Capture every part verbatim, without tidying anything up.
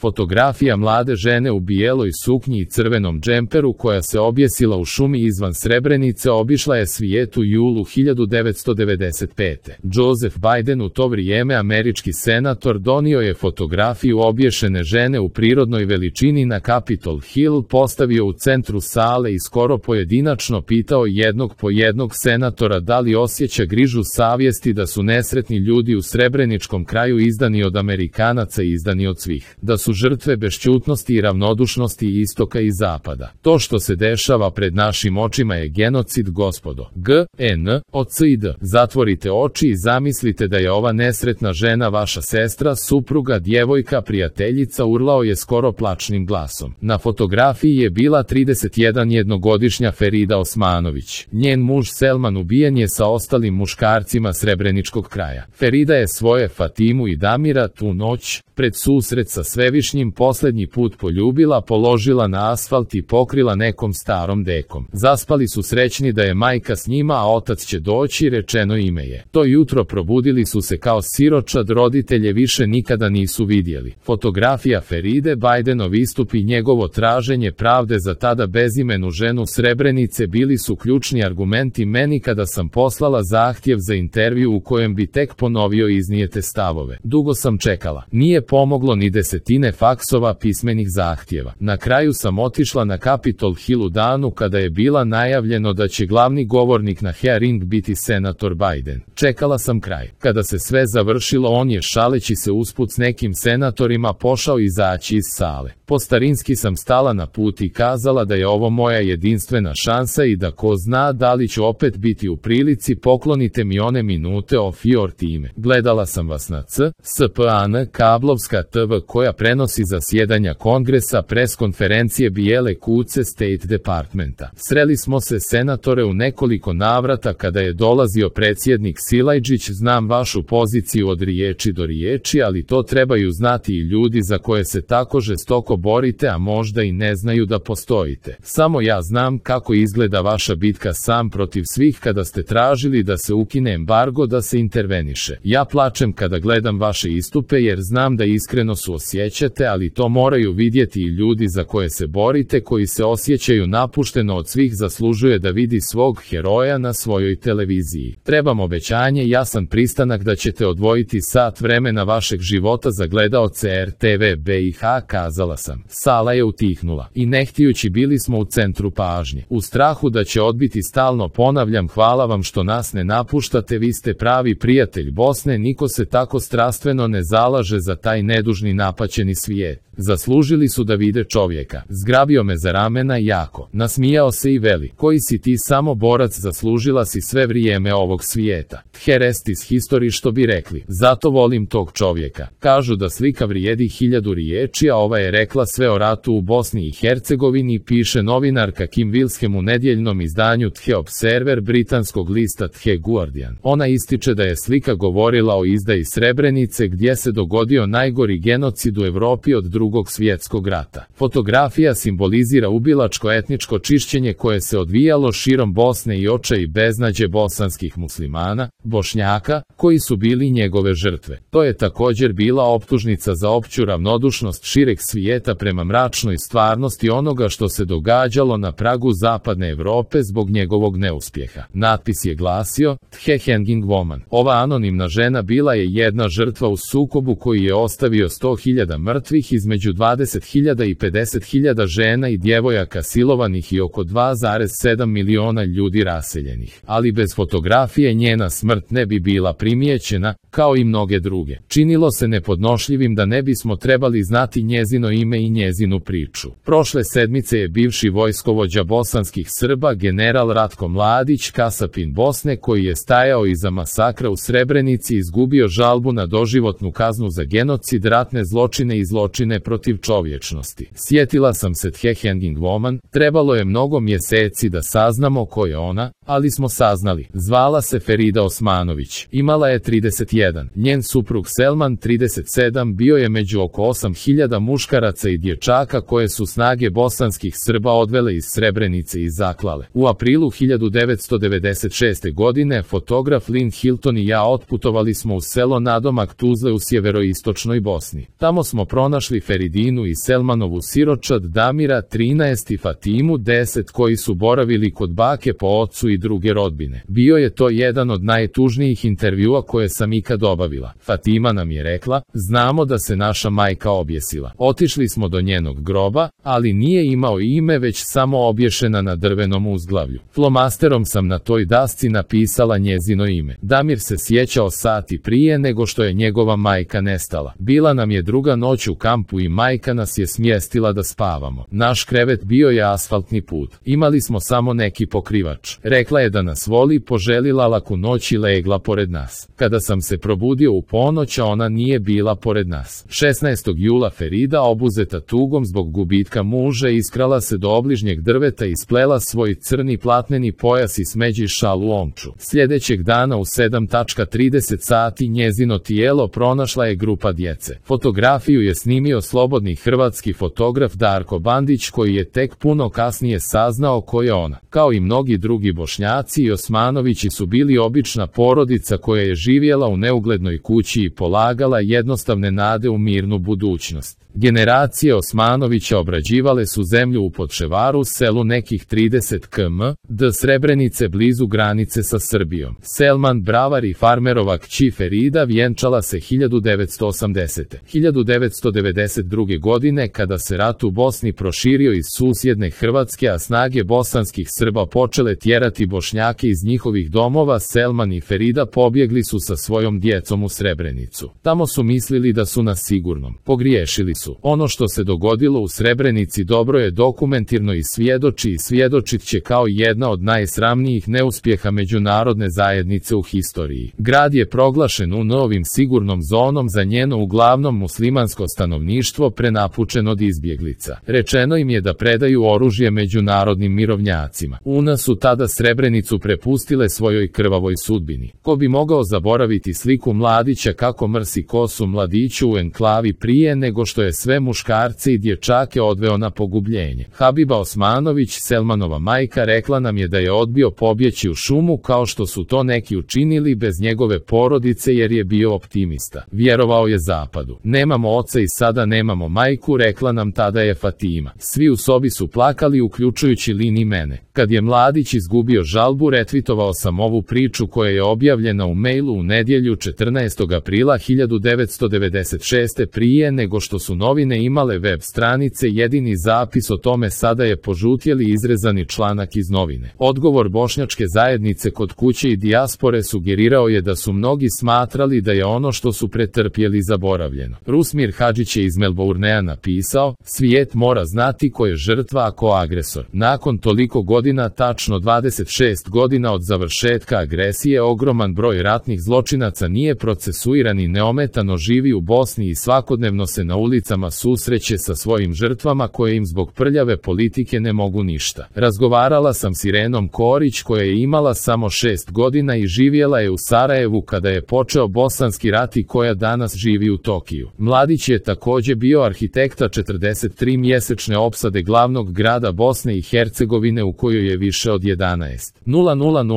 Fotografija mlade žene u bijeloj suknji i crvenom džemperu koja se objesila u šumi izvan Srebrenice obišla je svijet u julu hiljadu devetsto devedeset pete. Joseph Biden, u to vrijeme američki senator, donio je fotografiju obješene žene u prirodnoj veličini na Capitol Hill, postavio u centru sale i skoro pojedinačno pitao jednog po jednog senatora da li osjeća grižu savjesti da su nesretni ljudi u srebreničkom kraju izdani od Amerikanaca i izdani od svih, da su žrtve bešćutnosti i ravnodušnosti istoka i zapada. To što se dešava pred našim očima je genocid, gospodo. G, N, O, C i D. Zatvorite oči i zamislite da je ova nesretna žena vaša sestra, supruga, djevojka, prijateljica, urlao je skoro plačnim glasom. Na fotografiji je bila trideset jedan jednogodišnja Ferida Osmanović. Njen muž Selman ubijen je sa ostalim muškarcima srebreničkog kraja. Ferida je svoje Fatimu i Damira tu noć, pred susret sa Svevišnjim, posljednji put poljubila, položila na asfalt i pokrila nekom starom dekom. Zaspali su srećni da je majka s njima, a otac će doći, rečeno ime je. To jutro probudili su se kao siročad, roditelje više nikada nisu vidjeli. Fotografija Feride, Bidenov istup i njegovo traženje pravde za tada bezimenu ženu Srebrenice bili su ključni argumenti meni kada sam poslala zahtjev za intervju u kojem bi tek ponovio iznijete stavove. Dugo sam čekala. Nije pomoglo ni desetine faksova pismenih zahtjeva. Na kraju sam otišla na Capitol Hill u danu kada je bila najavljeno da će glavni govornik na hearing biti senator Biden. Čekala sam kraj. Kada se sve završilo, on je šaleći se usput s nekim senatorima pošao izaći iz sale. Po starinski sam stala na put i kazala da je ovo moja jedinstvena šansa i da ko zna da li ću opet biti u prilici, poklonite mi one minute of your time. Gledala sam vas na C S P A N, kablovska T V koja prenosi zasjedanja kongresa, pres konferencije Bijele kuće State Departmenta. Sreli smo se, senatore, u nekoliko navrata kada je dolazio predsjednik Silajđić. Znam vašu poziciju od riječi do riječi, ali to trebaju znati i ljudi za koje se tako žestoko borite, a možda i ne znaju da postojite. Samo ja znam kako izgleda vaša bitka sam protiv svih kada ste tražili da se ukine embargo, da se interveniše. Ja plačem kada gledam vaše istupe jer znam da iskreno suosjećate, ali to moraju vidjeti i ljudi za koje se borite, koji se osjećaju napušteno od svih. Zaslužuje da vidi svog heroja na svojoj televiziji. Trebam obećanje, jasan pristanak da ćete odvojiti sat vremena vašeg života za gledaoce R T V B I H, kazala sam. Sala je utihnula i ne htijući bili smo u centru pažnje. U strahu da će odbiti stalno ponavljam, hvala vam što nas ne napuštate, vi ste pravi prijatelj Bosne, niko se tako strastveno ne zalaže za taj nedužni napaćeni svijet. Zaslužili su da vide čovjeka. Zgrabio me za ramena jako. Nasmijao se i veli, koji si ti samo borac, zaslužila si sve vrijeme ovog svijeta. Herestis history, što bi rekli. Zato volim tog čovjeka. Kažu da slika vrijedi hiljadu riječi, a ova je rekla sve o ratu u Bosni i Hercegovini, piše novinarka Kim Wilshem u nedjeljnom izdanju The Observer britanskog lista The Guardian. Ona ističe da je slika govorila o izdaji Srebrenice gdje se dogodio najgori genocid u Europi od drugog svjetskog rata. Fotografija simbolizira ubilačko etničko čišćenje koje se odvijalo širom Bosne i očaj i beznađe bosanskih muslimana, Bošnjaka, koji su bili njegove žrtve. To je također bila optužnica za opću ravnodušnost šireg svijeta prema mračnoj stvarnosti onoga što se događalo na pragu zapadne Europe zbog njegovog neuspjeha. Natpis je glasio, The Hanging Woman. Ova anonimna žena bila je jedna žrtva u sukobu koji je ostavio sto hiljada mrtvih, između dvadeset hiljada i pedeset hiljada žena i djevojaka silovanih i oko dva zarez sedam miliona ljudi raseljenih. Ali bez fotografije njena smrt ne bi bila primijećena, kao i mnoge druge. Činilo se nepodnošljivim da ne bismo trebali znati njezino ime i njezinu priču. Prošle sedmice je bivši vojskovođa bosanskih Srba, general Ratko Mladić, kasapin Bosne koji je stajao iza masakra u Srebrenici, izgubio žalbu na doživotnu kaznu za genocid, ratne zločine i zločine protiv čovječnosti. Sjetila sam se The Hanging Woman, trebalo je mnogo mjeseci da saznamo ko je ona, ali smo saznali. Zvala se Ferida Osmanović. Imala je trideset jedan. Njen suprug Selman trideset sedam bio je među oko osam hiljada muškaraca i dječaka koje su snage bosanskih Srba odvele iz Srebrenice i zaklale. U aprilu hiljadu devetsto devedeset šeste. godine fotograf Lynn Hilton i ja otputovali smo u selo nadomak Tuzle u sjeveroistočnoj Bosni. Tamo smo pronašli Feridinu i Selmanovu siročad Damira trinaest i Fatimu deset koji su boravili kod bake po ocu i druge rodbine. Bio je to jedan od najtužnijih intervjua koje sam ikad obavila. Fatima nam je rekla, znamo da se naša majka objesila. Otišli smo do njenog groba, ali nije imao ime već samo obješena na drvenom uzglavlju. Flomasterom sam na toj dasci napisala njezino ime. Damir se sjećao sati prije nego što je njegova majka nestala. Bila nam je druga noć u kampu i majka nas je smjestila da spavamo. Naš krevet bio je asfaltni put. Imali smo samo neki pokrivač. Rekla je da nas voli, poželila laku noć i legla pored nas. Kada sam se probudio u ponoć, a ona nije bila pored nas. šesnaestog jula Ferida, obuzeta tugom zbog gubitka muža, iskrala se do obližnjeg drveta i splela svoj crni platneni pojas i smeđi šal u omču. Sljedećeg dana u sedam trideset sati njezino tijelo pronašla je grupa djece. Fotografiju je snimio slobodni hrvatski fotograf Darko Bandić, koji je tek puno kasnije saznao ko je ona. Kao i mnogi drugi Bošnjaci, i Osmanovići su bili obična porodica koja je živjela u neuglednoj kući i polagala jednostavne nade u mirnu budućnost. Generacije Osmanovića obrađivale su zemlju u Podševaru, selu nekih trideset kilometara do Srebrenice blizu granice sa Srbijom. Selman Bravar i farmerova kći Ferida vjenčala se hiljadu devetsto osamdesete. hiljadu devetsto devedeset druge. godine, kada se rat u Bosni proširio iz susjedne Hrvatske, a snage bosanskih Srba počele tjerati Bošnjake iz njihovih domova, Selman i Ferida pobjegli su sa svojom djecom u Srebrenicu. Tamo su mislili da su na sigurnom. Pogriješili su. Ono što se dogodilo u Srebrenici dobro je dokumentirano i svjedoči i svjedočit će kao jedna od najsramnijih neuspjeha međunarodne zajednice u historiji. Grad je proglašen u novim sigurnom zonom za njeno uglavnom muslimansko stanovništvo prenapučen od izbjeglica. Rečeno im je da predaju oružje međunarodnim mirovnjacima. U nas su tada Srebrenicu prepustile svojoj krvavoj sudbini. Ko bi mogao zaboraviti sliku mladića kako mrsi kosu mladiću u enklavi prije nego što je sve muškarce i dječake odveo na pogubljenje. Habiba Osmanović, Selmanova majka, rekla nam je da je odbio pobjeći u šumu kao što su to neki učinili bez njegove porodice jer je bio optimista. Vjerovao je zapadu. Nemamo oca i sada nemamo majku, rekla nam tada je Fatima. Svi u sobi su plakali, uključujući Lini mene. Kad je mladić izgubio žalbu, retvitovao sam ovu priču koja je objavljena u mailu u nedjelju četrnaestog aprila hiljadu devetsto devedeset šeste. prije nego što su novine imale web stranice. Jedini zapis o tome sada je požutjeli izrezani članak iz novine. Odgovor bošnjačke zajednice kod kuće i dijaspore sugerirao je da su mnogi smatrali da je ono što su pretrpjeli zaboravljeno. Rusmir Hadžić je iz Melbournea napisao, svijet mora znati ko je žrtva a ko agresor. Nakon toliko godina, tačno dvadeset šest godina od završetka agresije, ogroman broj ratnih zločinaca nije procesuiran i neometano živi u Bosni i svakodnevno se na ulicama susreće sa svojim žrtvama koje im zbog prljave politike ne mogu ništa. Razgovarala sam s Irenom Korić koja je imala samo šest godina i živjela je u Sarajevu kada je počeo bosanski rat i koja danas živi u Tokiju. Mladić je također bio arhitekta četrdeset tri mjesečne opsade glavnog grada Bosne i Hercegovine u kojoj je više od jedanaest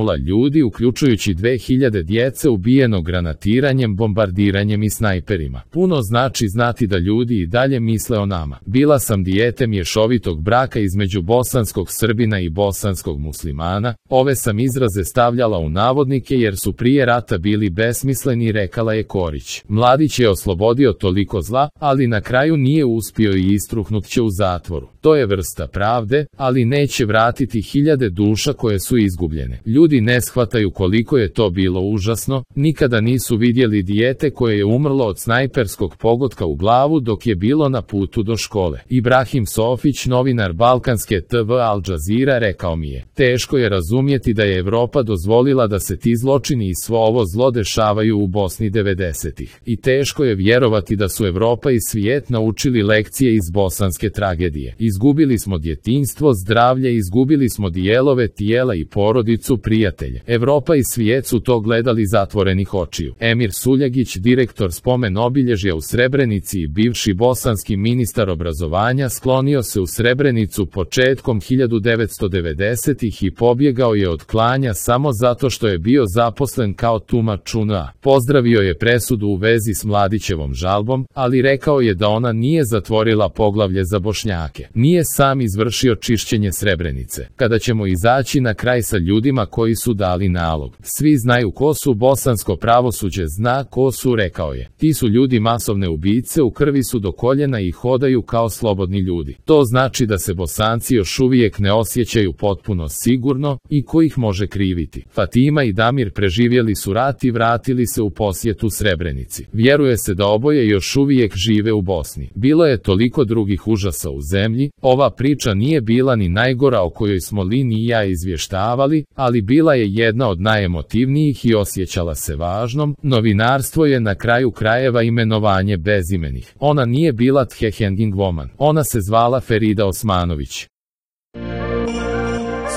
hiljada ljudi, uključujući dve hiljade djece, ubijeno granatiranjem, bombardiranjem i snajperima. Puno znači znati da ljudi i dalje misle o nama. Bila sam dijete mješovitog braka između bosanskog Srbina i bosanskog muslimana. Ove sam izraze stavljala u navodnike jer su prije rata bili besmisleni, rekala je Korić. Mladić je oslobodio toliko zla, ali na kraju nije uspio i istruhnut će u zatvoru. To je vrsta pravde, ali neće vratiti hiljade duša koje su izgubljene. Ljudi ne shvataju koliko je to bilo užasno, nikada nisu vidjeli dijete koje je umrlo od snajperskog pogotka u glavu dok je bilo na putu do škole. Ibrahim Sofić, novinar balkanske te ve Al Jazeera, rekao mi je, teško je razumjeti da je Europa dozvolila da se ti zločini i svo ovo zlo dešavaju u Bosni devedesetih. I teško je vjerovati da su Europa i svijet naučili lekcije iz bosanske tragedije. Izgubili smo djetinjstvo, zdravlje, izgubili smo dijelove tijela i porodicu prijatelje. Evropa i svijet su to gledali zatvorenih očiju. Emir Suljagić, direktor spomen obilježja u Srebrenici i bivši bosanski ministar obrazovanja, sklonio se u Srebrenicu početkom hiljadu devetsto devedesetih i pobjegao je od klanja samo zato što je bio zaposlen kao tumač U N A. Pozdravio je presudu u vezi s Mladićevom žalbom, ali rekao je da ona nije zatvorila poglavlje za Bošnjake. Nije sam izvršio čišćenje Srebrenice. Kada ćemo izaći na kraj sa ljudima koji su dali nalog? Svi znaju ko su, bosansko pravosuđe zna ko su, rekao je. Ti su ljudi masovne ubice, u krvi su do koljena i hodaju kao slobodni ljudi. To znači da se Bosanci još uvijek ne osjećaju potpuno sigurno i ko ih može kriviti. Fatima i Damir preživjeli su rat i vratili se u posjetu Srebrenici. Vjeruje se da oboje još uvijek žive u Bosni. Bilo je toliko drugih užasa u zemlji, ova priča nije bila ni najgora o kojoj smo Lin i ja izvještavali, ali bila je jedna od najemotivnijih i osjećala se važnom. Novinarstvo je na kraju krajeva imenovanje bezimenih. Ona nije bila Thehenging Woman. Ona se zvala Ferida Osmanović.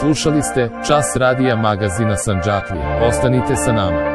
Slušali ste Čas radija magazina Sandžaklije. Ostanite sa nama.